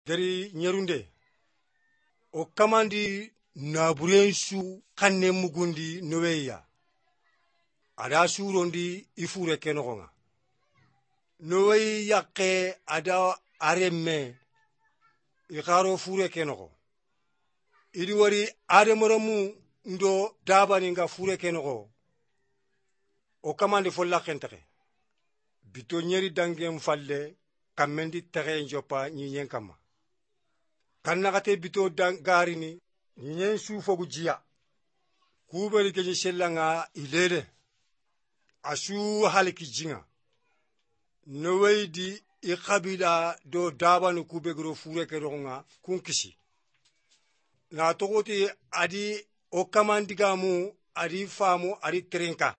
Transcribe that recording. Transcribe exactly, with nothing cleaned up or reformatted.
gari nyerunde o kamandi naburensu kanne mugundi noweya ada surondi ifure kenogonga nowey yakke ada aremme ikaro fure kenogo idi wari ademoramu ndo dabani nga fure kenogo o kamandi folla kentake bito nyeri dangem falle kamendi tere njopa nyinyen kama kannagate bito garini nyinyen su fogu jiya kubeli kenyi sellanga ilele asu haliki jinga nowey di ikabila do dabanu kubegro fure kenogonga kunkisi na togoti adi o kamandigamu adi famu adi trinka